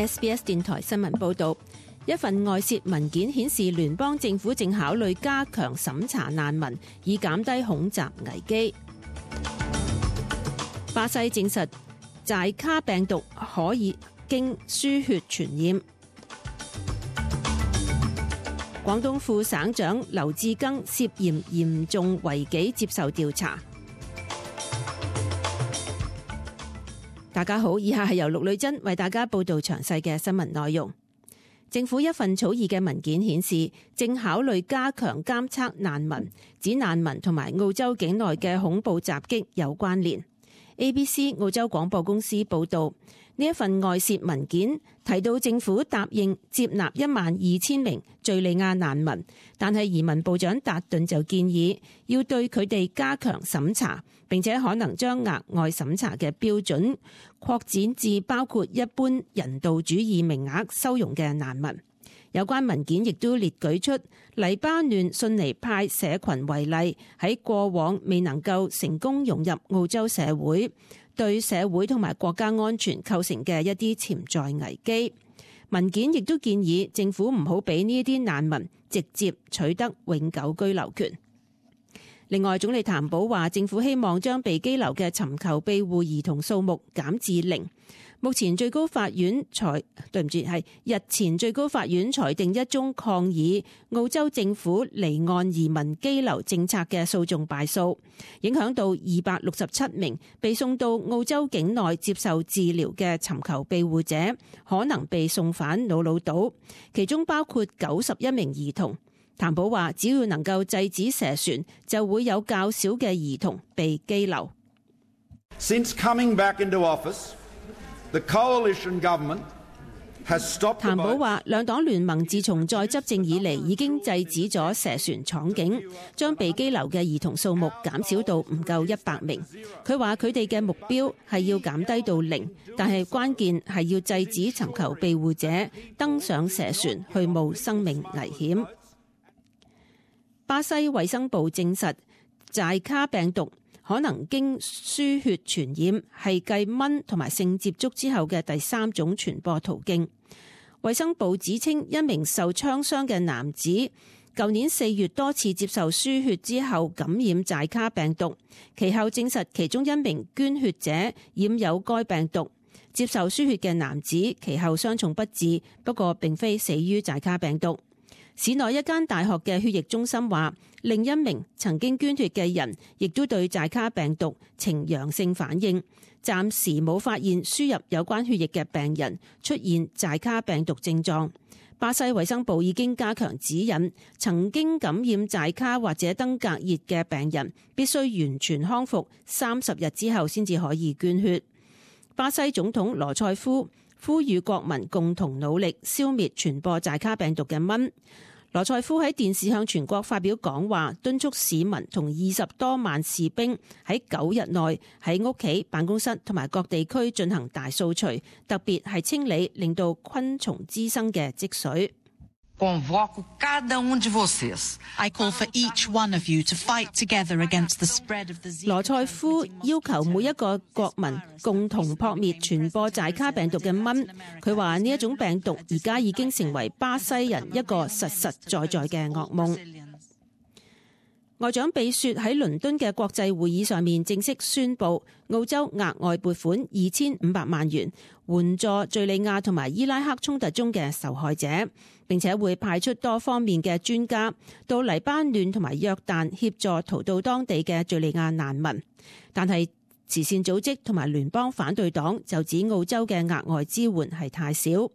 SBS 電台新聞報導，一份外泄文件顯示，聯邦政府正考慮加強審查難民，以減低恐襲危機。巴西證實寨卡病毒可以經輸血傳染。廣東副省長劉志庚涉嫌嚴重違紀接受調查。大家好，以下係由陸女珍為大家報道詳細嘅新聞內容。政府一份草擬嘅文件顯示，正考慮加強監測難民，指難民同埋澳洲境內嘅恐怖襲擊有關聯。ABC 澳洲廣播公司報道，呢一份外泄文件提到政府答應接納12000名敘利亞難民，但係移民部長達頓就建議要對佢哋加強審查，並且可能將額外審查嘅標準擴展至包括一般人道主義名額收容嘅難民。有關文件亦都列舉出黎巴嫩遜尼派社群為例，喺過往未能夠成功融入澳洲社會，對社會同埋國家安全構成嘅一啲潛在危機。文件亦都建議政府唔好俾呢一啲難民直接取得永久居留權。另外，總理譚寶話，政府希望將被羈留嘅尋求庇護兒童數目減至0。目前最高法院日前最高法院裁定一宗抗議澳洲政府離岸移民羈留政策嘅訴訟敗訴，影響到267名被送到澳洲境內接受治療嘅尋求庇護者可能被送返瑙魯島，其中包括91名兒童。譚寶話，只要能夠制止蛇船，就會有較少嘅兒童被羈留。Since coming back into office, the coalition government has stopped。譚寶話，兩黨聯盟自從再執政以嚟，已經制止咗蛇船闖境，將被羈留嘅兒童數目減少到唔夠100名。佢話佢哋嘅目標係要減低到0，但係關鍵係要制止尋求庇護者登上蛇船去冒生命危險。巴西衛生部證實，寨卡病毒可能經輸血傳染，係繼蚊同埋性接觸之後嘅第3種傳播途徑。衛生部指稱，一名受槍傷嘅男子舊年4月多次接受輸血之後感染寨卡病毒，其後證實其中一名捐血者染有該病毒。接受輸血嘅男子其後傷重不治，不過並非死於寨卡病毒。市內一間大學嘅血液中心話，另一名曾經捐血嘅人亦都對寨卡病毒呈陽性反應，暫時冇發現輸入有關血液嘅病人出現寨卡病毒症狀。巴西衛生部已經加強指引，曾經感染寨卡或者登革熱嘅病人必須完全康復30日之後先至可以捐血。巴西總統羅塞夫呼籲國民共同努力消滅傳播寨卡病毒嘅蚊。羅塞夫喺電視向全國發表講話，敦促市民同20多萬士兵喺9日內喺屋企、辦公室同埋各地區進行大掃除，特別係清理令到昆蟲滋生嘅積水。Convoco cada de vocês. I call for each one of you to fight together against the spread of the Zika. 羅塞夫要求每一個國民共同撲滅傳播寨卡病毒嘅蚊。佢話呢一種病毒而家已經成為巴西人一個實實在在嘅噩夢。外長比雪喺倫敦嘅國際會議上面正式宣布，澳洲額外撥款2500萬元援助敘利亞同埋伊拉克衝突中嘅受害者，並且會派出多方面嘅專家到黎巴嫩同埋約旦協助逃到當地嘅敘利亞難民。但係慈善組織同埋聯邦反對黨就指澳洲嘅額外支援係太少。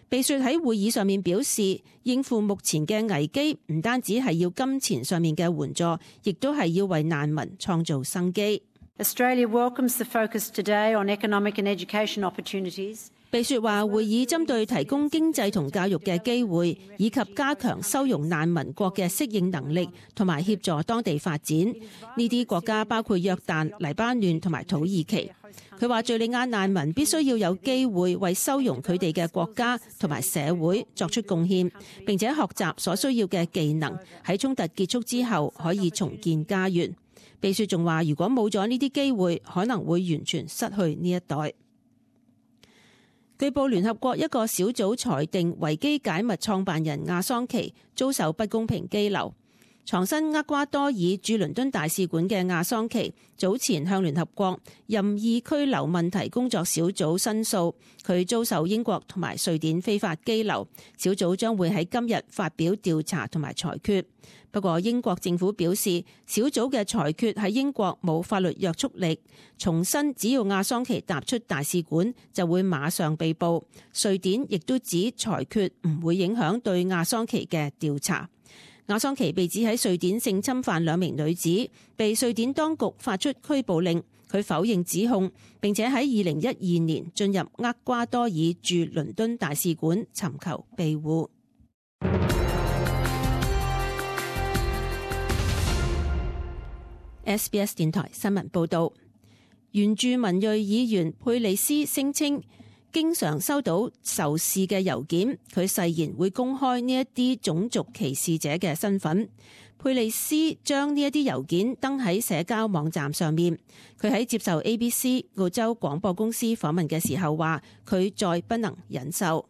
比雪喺會議上面表示，應付目前嘅危機唔單止係要金錢上面嘅援助，亦都係要為難民創造生機。Australia welcomes the focus today on economic and education opportunities. 比雪話，會議針對提供經濟同教育嘅機會，以及加強收容難民國嘅適應能力，同埋協助當地發展。呢啲國家包括約旦、黎巴嫩同埋土耳其。佢話，敘利亞難民必須要有機會為收容佢哋嘅國家同埋社會作出貢獻，並且學習所需要嘅技能，喺衝突結束之後可以重建家園。比雪仲話，如果冇咗呢啲機會，可能會完全失去呢一代。據報聯合國一個小組裁定維基解密創辦人亞桑奇遭受不公平羈留。藏身厄瓜多爾駐倫敦大使館嘅亞桑奇早前向聯合國任意拘留問題工作小組申訴，佢遭受英國同埋瑞典非法羈留。小組將會喺今日發表調查同埋裁決。不過英國政府表示，小組嘅裁決喺英國冇法律約束力，重申只要亞桑奇踏出大使館就會馬上被捕。瑞典亦都指裁決唔會影響對亞桑奇嘅調查。亞桑奇被指喺瑞典性侵犯2名女子，被瑞典當局發出拘捕令。佢否認指控，並且喺2012年進入厄瓜多爾駐倫敦大使館尋求庇護。SBS 電台新聞報導，原住民裔議員佩利斯聲稱經常收到仇視嘅郵件，佢誓言會公開呢一啲種族歧視者嘅身份。佩利斯將呢一啲郵件登喺社交網站上面。佢喺接受 ABC 澳洲廣播公司訪問嘅時候話，佢再不能忍受。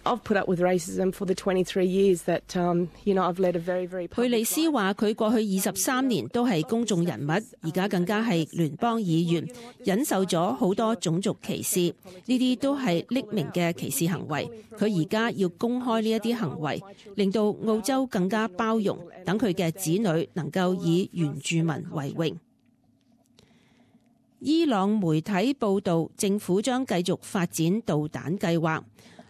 I've put up with racism for the 23 years that, I've led a very, very public life. 佩利斯話佢過去23年都係公眾人物，而家更加係聯邦議員，忍受咗好多種族歧視，呢啲都係匿名嘅歧視行為。佢而家要公開呢一啲行為，令到澳洲更加包容，等佢嘅子女能夠以原住民為榮。伊朗媒體報導，政府將繼續發展導彈計劃。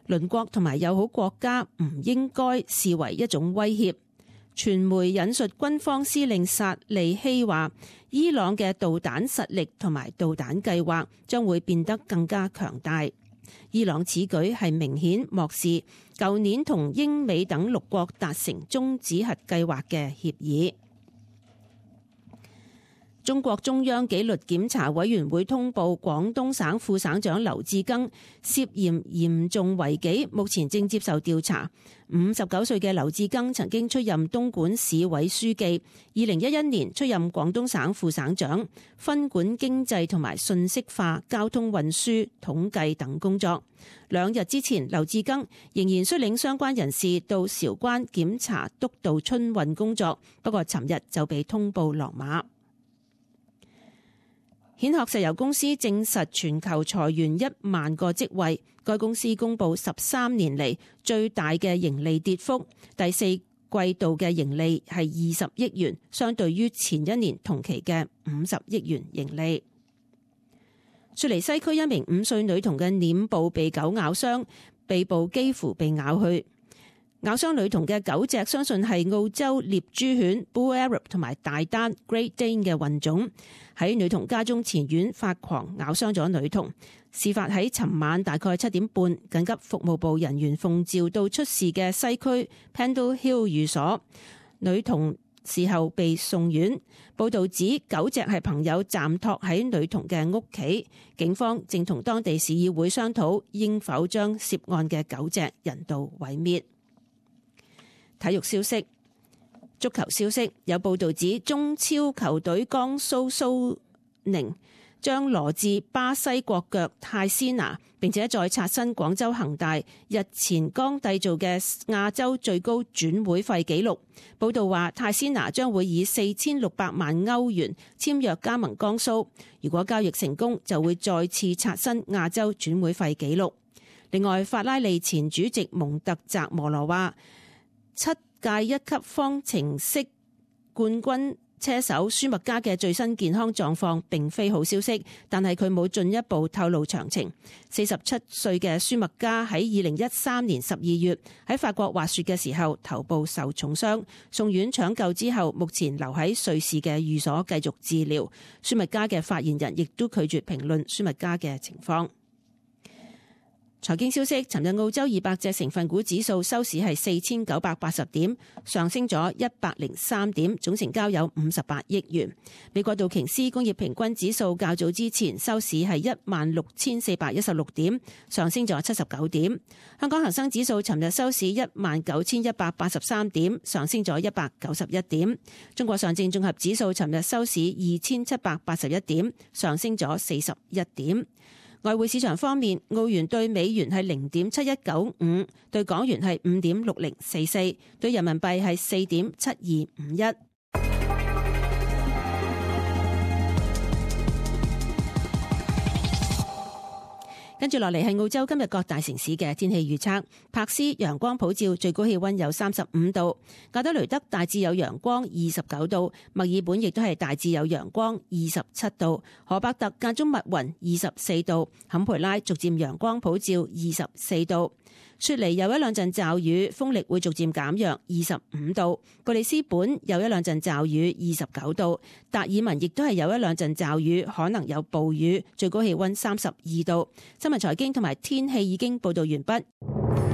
鄰國同埋友好國家唔應該視為一種威脅。傳媒引述軍方司令薩利希話，伊朗嘅導彈實力同埋導彈計劃將會變得更加強大。伊朗此舉係明顯漠視舊年同英美等6國達成終止核計劃嘅協議。中國中央紀律檢查委員會通報，廣東省副省長劉志庚涉嫌嚴重違紀，目前正接受調查。59歲嘅劉志庚曾經出任東莞市委書記，2011年出任廣東省副省長，分管經濟同埋信息化、交通運輸、統計等工作。2日之前，劉志庚仍然率領相關人士到韶關檢查督導春運工作，不過尋日就被通報落馬。蜆殼石油公司證實全球裁員1萬個職位，該公司公布13年嚟最大嘅盈利跌幅，第4季度嘅盈利係20億元，相對於前一年同期嘅50億元盈利。雪梨西區一名5歲女童嘅臉部被狗咬傷，鼻部幾乎被咬去。咬傷女童嘅狗隻相信係澳洲獵豬犬 Bull Arab 同埋大丹 Great Dane 嘅混種，喺女童家中前院發狂咬傷咗女童。事發喺尋晚大概7點半，緊急服務部人員奉召到出事嘅西區 Pendle Hill 寓所，女童事後被送院。報道指狗隻係朋友暫託喺女童嘅屋企，警方正同當地市議會商討應否將涉案嘅狗隻人道毀滅。體育消息，足球消息，有報道指中超球隊江蘇蘇寧將羅致巴西國腳泰斯拿，並且再刷新廣州恒大日前剛締造嘅亞洲最高轉會費紀錄。報道話，泰斯拿將會以4600萬歐元簽約加盟江蘇，如果交易成功，就會再次刷新亞洲轉會費紀錄。另外，法拉利前主席蒙特澤摩羅話，7屆1級方程式冠軍車手舒麥加嘅最新健康狀況並非好消息，但係佢冇進一步透露詳情。47歲嘅舒麥加喺2013年12月喺法國滑雪嘅時候頭部受重傷，送院搶救之後，目前留喺瑞士嘅寓所繼續治療。舒麥加嘅發言人亦都拒絕評論舒麥加嘅情況。財經消息，尋日澳洲200隻成分股指數收市係4980點，上升咗103點，總成交有58億元。美國道瓊斯工業平均指數較早之前收市係16416點，上升咗79點。香港恒生指數尋日收市19183點，上升咗191點。中國上證綜合指數尋日收市2781點，上升咗41點。外匯市場方面，澳元對美元係0.7195，對港元係5.6044，對人民幣係4.7251。跟住落嚟係澳洲今日各大城市嘅天氣預測。柏斯陽光普照，最高氣溫有35度；亞德雷德大致有陽光29度；墨爾本亦都係大致有陽光27度；荷伯特間中密雲24度；坎培拉逐漸陽光普照24度；雪梨有一兩陣驟雨，風力會逐漸減弱25度；布里斯本有一兩陣驟雨29度；達爾文亦都係有一兩陣驟雨，可能有暴雨，最高氣溫32度。新聞財經同埋天氣已經報道完畢。